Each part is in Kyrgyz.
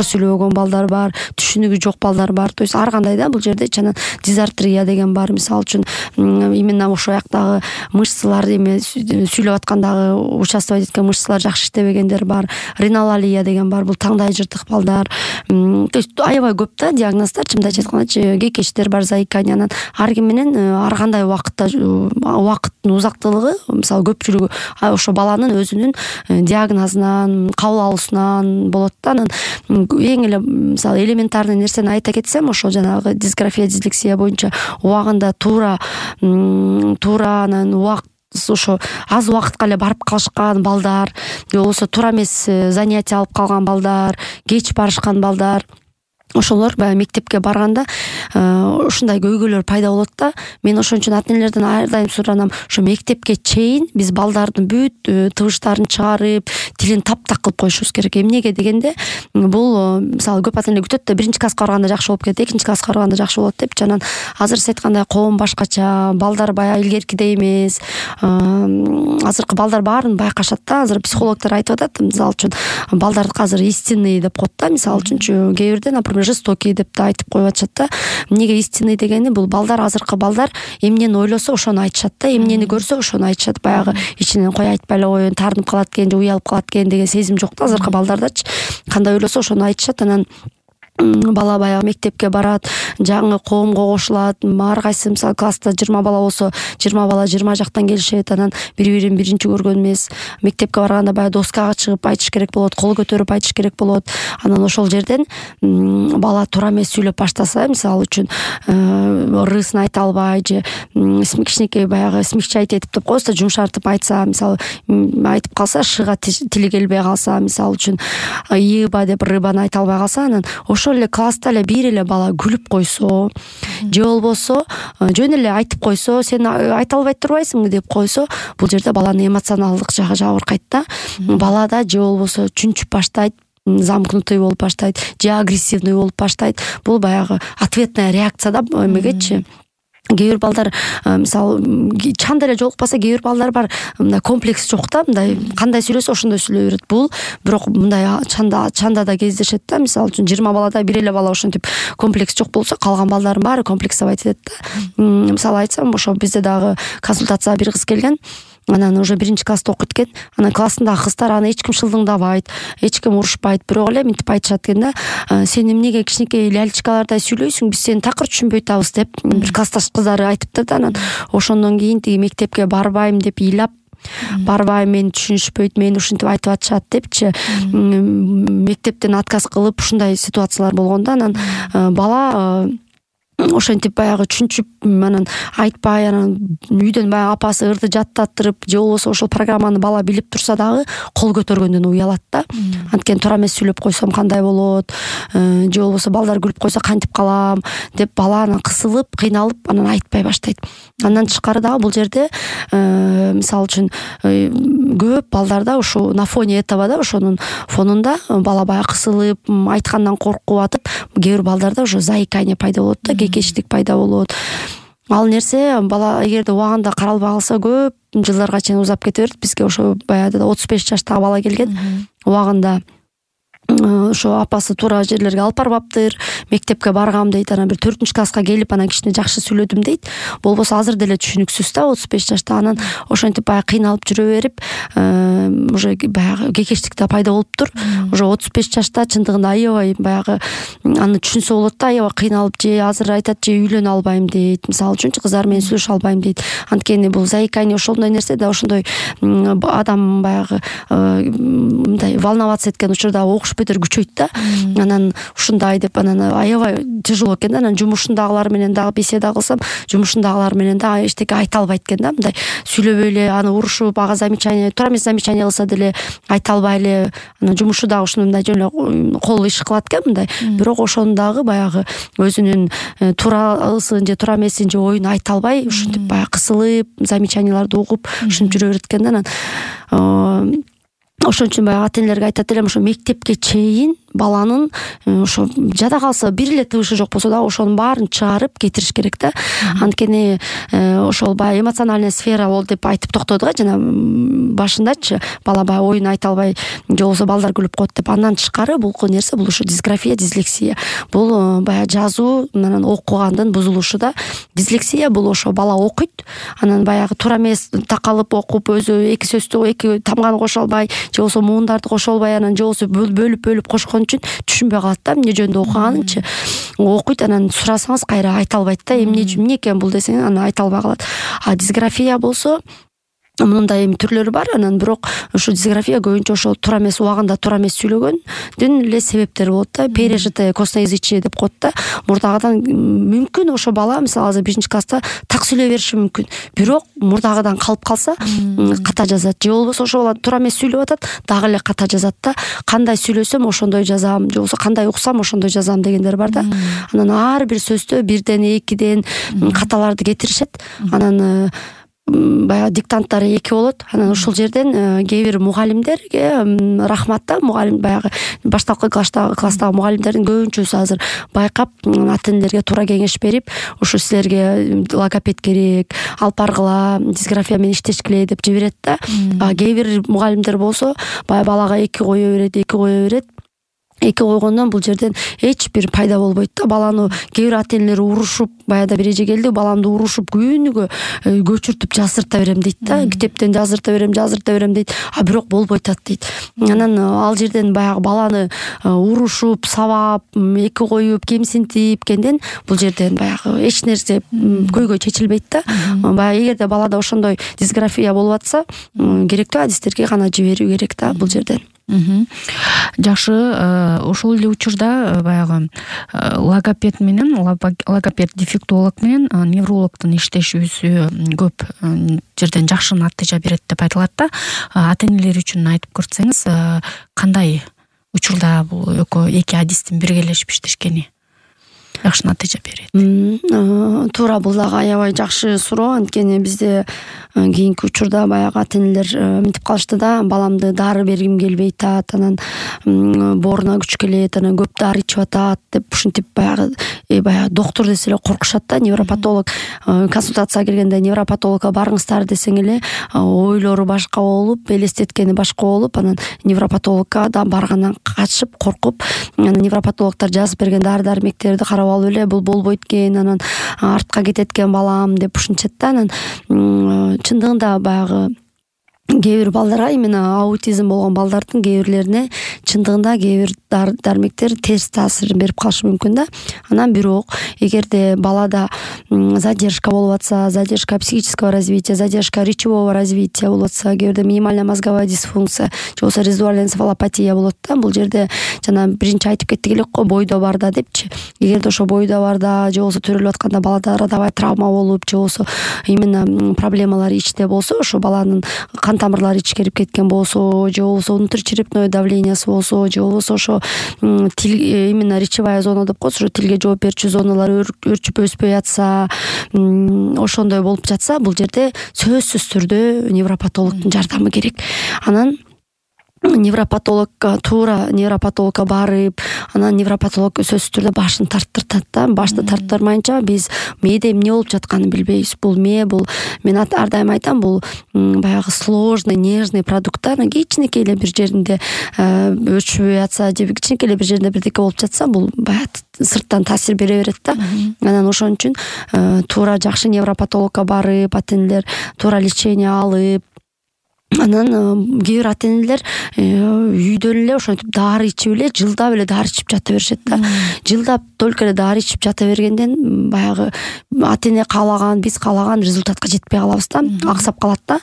жакшы сүйлөбөгөн балдар бар, түшүнүгү жок балдар бар. То есть ар кандай да бул жерде чана дизартрия деген бар. Мисалы үчүн именно ошол жактагы мышцалар эме сүйлөп аткандагы участвовать эткен мышцалар жакшы иштебегендер бар. Ринолалия деген бар. Бул таңдай жыртык балдар. То есть аябай көп да диагноздор, чындап айтканда кекештер бар, заикание. Анан ар ким менен ар кандай убакытта убакыттын узактылыгы, мисалы көпчүлүгү ошо баланын өзүнүн диагнозунан, кабыл алуусунан болот да. Анан эң эле мисалы элементарный нерсени айта кетсем, ошол жанагы дисграфия, дислексия боюнча убагында туура анан ошо аз убакытка эле барып калышкан балдар, же болбосо туура эмес занятия алып калган балдар, кеч барышкан балдар, ошолор баягы мектепке барганда ушундай көйгөйлөр пайда болот да. Мен ошон үчүн ата энелерден ар дайым суранам, ошо мектепке чейин биз балдардын бүт тыбыштарын чыгарып, тилин таптак кылып коюшубуз керек. Эмнеге дегенде, бул мисалы көп ата эне күтөт да, 1-класска барганда жакшы болуп кетет, 2-класска барганда жакшы болот депчи. Анан азыр сиз айткандай коом башкача, балдар баягы илгеркидей эмес. Азыркы балдар баарын байкашат да. Азыр психологдор айтып атат, мисалы үчүн балдарды азыр истинный деп коет да. Мисалы үчүн кээ бирде, например, жестокий деп да айтып коюп атышат да. Эмнеге истинный дегени, бул балдар, азыркы балдар эмнени ойлосо ошону айтышат да, эмнени көрсө ошону айтышат. Баягы ичинен кой айтпай эле коеюн, таарынып калат экен же уялып калат экен деген сезим жок да азыркы балдардачы. Кандай ойлосо ошону айтышат. Анан бала баягы мектепке барат, жаңы коомго кошулат. Ар кайсы мисалы класста 20 бала болсо, 20 бала 20 жактан келишет. Анан бири-бирин биринчи көргөн эмес. Мектепке барганда баягы доскага чыгып айтыш керек болот, кол көтөрүп айтыш керек болот. Анан ошол жерден бала туура эмес сүйлөп баштаса, мисалы үчүн рысын айта албай же кичинекей баягы смягчать этип деп коебуз да, жумшартып айтса, мисалы айтып калса, шыга тили келбей калса, мисалы үчүн ыйыба деп рыбаны айта албай калса, анан ошол эле класста эле бир эле бала күлүп койсо, же болбосо жөн эле айтып койсо, сен айта албай турбайсыңбы деп койсо, бул жерде баланын эмоционалдык жагы жабыркайт да. Балада же болбосо чүнчүп баштайт, замкнутый болуп баштайт, же агрессивный болуп баштайт. Бул баягы ответная реакция да эмегечи. Кээ бир балдар мисалы чанда эле жолукпаса, кээ бир балдар бар, мындай комплекс жок да, мындай кандай сүйлөсө ошондой сүйлөй берет. Бул бирок мындай чанда да кездешет да. Мисалы үчүн 20 балада бир эле бала ошентип комплекс жок болсо, калган балдардын баары комплексовать этет да. Мисалы айтсам, ошо бизде дагы консультацияга бир кыз келген. Анан уже 1-класста окуйт экен. Анан классындагы кыздар аны эч ким шылдыңдабайт, эч ким урушпайт. Бирок эле мынтип айтышат экен да. Сен эмнеге кичинекей лялечкалардай сүйлөйсүң, биз сени такыр түшүнбөй атабыз деп бир классташ кыздары айтыптыр да. Анан ошондон кийин тиги мектепке барбайм деп ыйлап, барбайм, мени түшүнүшпөйт, мени ушинтип айтып атышат депчи мектептен отказ кылып ушундай ситуациялар болгон да. Анан бала ошентип баягы түшүнчүп, анан айтпай, анан үйдөн баягы апасы ырды жаттатырып, же болбосо ошол программаны бала билип турса дагы кол көтөргөндөн уялат да. Анткени туура эмес сүйлөп койсом кандай болот, же болбосо балдар күлүп койсо кантип калам деп бала анан кысылып, кыйналып, анан айтпай баштайт. Андан тышкары дагы бул жерде мисалы үчүн көп балдарда ушу на фоне этого да, ошонун фонунда бала баягы кысылып, айткандан коркуп атып, кээ бир балдарда уже заикание пайда болот да, кекештик пайда болот. Ал нерсе бала эгерде убагында каралбай калса көп жылдарга чейин узап кете берет. Бизге ошо баягы 35 жаштагы бала келген, убагында ошо апасы туура жерлерге алып барбаптыр, мектепке баргам дейт. Анан бир 4-класска келип, анан кичине жакшы сүйлөдүм дейт. Болбосо азыр деле түшүнүксүз да, 35 жашта. Анан ошентип баягы кыйналып жүрө берип, уже баягы кекештик да пайда болуптур. Уже 35 жашта чындыгында аябай баягы аны түшүнсө болот да, аябай кыйналып, же азыр айтат, же үйлөнө албайм дейт. Мисалы үчүнчү кыздар менен сүйлөшө албайм дейт. Анткени бул заикание ошондой нерсе да, ошондой адам баягы мындай волноваться эткен учурда окуш бетер күчөйт да. Анан ушундай деп, анан аябай тяжело экен да. Анан жумушундагылар менен дагы беседа кылсам, жумушундагылар менен дагы эчтеке айта албайт экен да. Мындай сүйлөбөй эле, аны урушуп, ага замечание, туура эмес замечание кылса деле айта албай эле, анан жумушу дагы ушундай жөн эле кол иш кылат экен мындай. Бирок ошону дагы баягы өзүнүн туурасын же туура эмесин же оюн айта албай, ушинтип баягы кысылып, замечанияларды угуп, ушинтип жүрө берет экен да. Анан ошон үчүн баягы ата энелерге айтат элем, ошо мектепке чейин баланын ошо жада калса бир эле тыбышы жок болсо да ошонун баарын чыгарып кетириш керек да. Анткени ошол баягы эмоциональный сфера болду деп айтып токтодук жана башындачы, бала баягы оюн айта албай же болбосо балдар күлүп коет деп. Андан тышкары бул нерсе бул ушу дисграфия, дислексия. Бул баягы жазуу менен окугандын бузулушу да. Дислексия бул ошо бала окуйт, анан баягы туура эмес такалып окуп, өзү эки сөздү эки тамганы кошо албай же болбосо муундарды кошо албай, анан же болбосо бөлүп кошкон үчүн түшүнбөй калат да, эмне жөнүндө окуганынчы. Окуйт, анан сурасаңыз кайра айта албайт да, эмне экен бул десең анан айта албай калат. А дисграфия болсо мындай түрлөрү бар. Анан бирок ушу дисграфия көбүнчө ошол туура эмес убагында туура эмес сүйлөгөндүн эле себептери болот да. Пережитое косноязычие деп коет да. Мурдагыдан мүмкүн ошо бала мисалы азыр 1-класста так сүйлөй бериши мүмкүн, бирок мурдагыдан калып калса ката жазат. Же болбосо ошо бала туура эмес сүйлөп атат, дагы эле ката жазат да. Кандай сүйлөсөм ошондой жазам, же болбосо кандай уксам ошондой жазам дегендер бар да. Анан ар бир сөздө бирден, экиден каталарды кетиришет. Анан баягы диктанттары 2 болот. Анан ушул жерден кээ бир мугалимдерге рахмат да. Мугалим баягы баштапкы класстагы мугалимдердин көбүнчөсү азыр байкап ата энелерге туура кеңеш берип, ушу силерге логопед керек, алып баргыла, дисграфия менен иштешкиле деп жиберет да. Кээ бир мугалимдер болсо баягы балага 2 кое берет. 2 койгондон бул жерден эч бир пайда болбойт да. Баланы кээ бир ата энелер урушуп, баягы бир эже келди, баламды урушуп күнүгө көчүртүп жаздырта берем дейт да. Китептен жаздырта берем дейт. А бирок болбойт атат дейт. Анан ал жерден баягы баланы урушуп, сабап, 2 коюп, кемсинтип кенден бул жерден баягы эч нерсе көйгөй чечилбейт да. Баягы эгерде балада ошондой дисграфия болуп атса, керектүү адистерге гана жиберүү керек да бул жерден. Жакшы, ошол эле учурда баягы логопед менен логопед дефектолог менен неврологдун иштешүүсү көп жерден жакшы натыйжа берет деп айтылат да. Ата энелер үчүн айтып көрсөңүз, кандай учурда бул эки адистин биргелешип иштешкени жакшы натыйжа берет? Туура, бул дагы аябай жакшы суроо. Анткени бизде кийинки учурда баягы ата энелер мынтип калышты да, баламды дары бергим келбей атат, анан бооруна күч келет, анан көп дары ичип атат деп ушинтип баягы доктор десе эле коркушат да. Невропатолог консультацияга келгенде невропатологко барыңыздар десең эле ойлору башка болуп, элестеткени башка болуп, анан невропатологко да баргандан качып, коркуп, анан невропатологдор жазып берген дары-дармектерди карап алып эле бул болбойт экен, анан артка кетет экен балам деп ушинчет да. Анан чындыгында баягы кээ бир балдарга, именно аутизм болгон балдардын кээ бирлерине чындыгында кээ бир дармектер терс таасирин берип калышы мүмкүн да. Анан бирок эгерде балада задержка болуп атса, задержка психического развития, задержка речевого развития болуп атса, кээ бирде минимальная мозговая дисфункция же болбосо резидуальная энцефалопатия болот да. Бул жерде жана биринчи айтып кеттик элек го, бойдо бар да депчи. Эгерде ошо бойдо бар да, же болбосо төрөлүп атканда балада родовая травма болуп, же болбосо именно проблемалар ичте болсо, ошо баланын кан тамырлары ичкерип кеткен болсо, же болбосо внутричерепное давлениясы болсо, же болбосо ошо тил, именно речевая зона деп коебуз, ошо тилге жооп берүүчү зоналар өрчүп өспөй атса, ошондой болуп жатса, бул жерде сөзсүз түрдө невропатологдун жардамы керек. Анан невропатологко барып, анан невропатолог сөзсүз түрдө башын тарттыртат да. Башты тарттырмайынча биз мээде эмне болуп жатканын билбейбиз. Бул мээ, бул мен ар дайым айтам, бул баягы сложный, нежный продукттар. Кичинекей эле бир жеринде өчпөй атса, же кичинекей эле бир жеринде бирдеке болуп жатса, бул баягы сырттан таасир бере берет да. Анан ошон үчүн туура жакшы невропатологко барып, ата энелер туура лечение алып, анан кээ бир ата энелер үйдөн эле ошентип дары ичип эле, жылдап эле дары ичип жата беришет да. Жылдап только эле дары ичип жата бергенден баягы ата эне каалаган, биз каалаган результатка жетпей калабыз да, аксап калат да.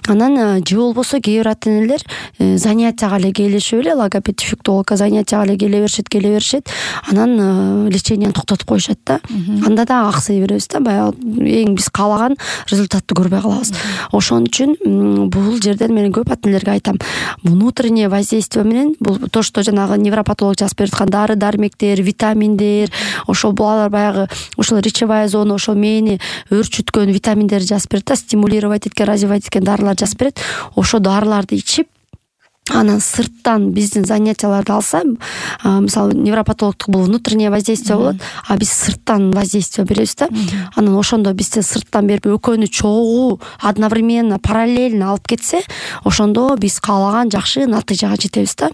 Анан же болбосо кээ бир ата энелер занятияга эле келишип эле, логопед дефектологко занятияга эле келе беришет, анан лечениени токтотуп коюшат да. Анда да аксай беребиз да, баягы эң биз каалаган результатты көрбөй калабыз. Ошон үчүн бул жерден мен көп ата энелерге айтам, внутреннее воздействие менен, бул то, что жанагы невропатолог жазып берип аткан дары-дармектер, витаминдер, ошол булар баягы ошол речевая зона, ошол мээни өрчүткөн витаминдерди жазып берет да, стимулировать эткен, развивать эткен дарылар жазып берет. Ошо дарыларды ичип, анан сырттан биздин занятияларды алса, мисалы невропатологдук бул внутреннее воздействие болот, а биз сырттан воздействие беребиз да. Анан ошондо бизде сырттан берип экөөнү чогуу одновременно параллельно алып кетсе, ошондо биз каалаган жакшы натыйжага жетебиз да.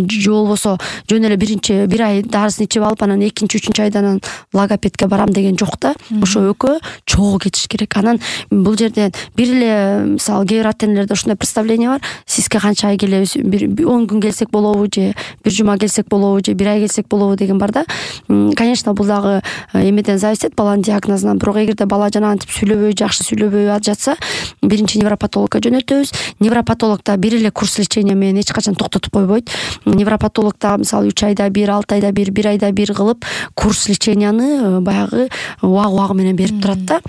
Же болбосо жөн эле бир ай дарысын ичип алып анан экинчи үчүнчү айда анан логопедке барам деген жок да. Ошо экөө чогуу кетиш керек. Анан бул жерде бир эле мисалы кээ бир ата-энелерде ушундай представление бар: сизге канча ай келебиз, 10 күн келсек болобу, же бир жума келсек болобу, же бир ай келсек болобу деген бар да. Конечно, бул дагы эмеден зависит, баланын диагнозунан. Бирок эгерде бала жанагынтип сүйлөбөй, жакшы сүйлөбөй жатса, биринчи невропатологко жөнөтөбүз. Невропатолог да бир эле курс лечения менен эч качан токтотуп койбойт. Невропатолог да мисалы 3 айда бир, 6 айда бир, 1 айда бир кылып курс леченияны баягы убагы менен берип турат да.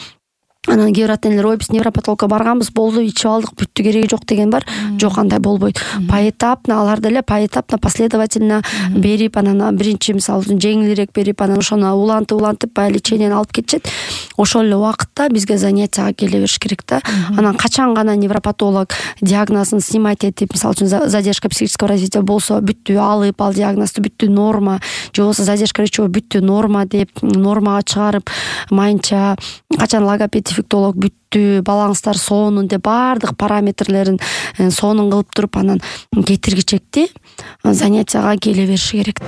Анан кээ бир ата-энелер: ой, биз невропатологко барганбыз, болду, ичип алдык, бүттү, кереги жок деген бар. Жок, андай болбойт. Поэтапно алар деле поэтапно, последовательно берип, анан биринчи мисалы жеңилирээк берип, анан ошону улантып баягы леченияны алып кетишет. Ошол эле убакытта бизге занятияга келе бериш керек да. Анан качан гана невропатолог диагнозун снимать этип, мисалы үчүн задержка психического развития болсо, бүттү, алып ал диагнозду, бүттү, норма, же болбосо задержка речевой, бүттү, норма деп нормага чыгарып, майынча качан логопед дефектолог бүттү, балаңыздар сонун деп баардык параметрлерин сонун кылып туруп, анан кетиргичекти занятияга келе бериши керек.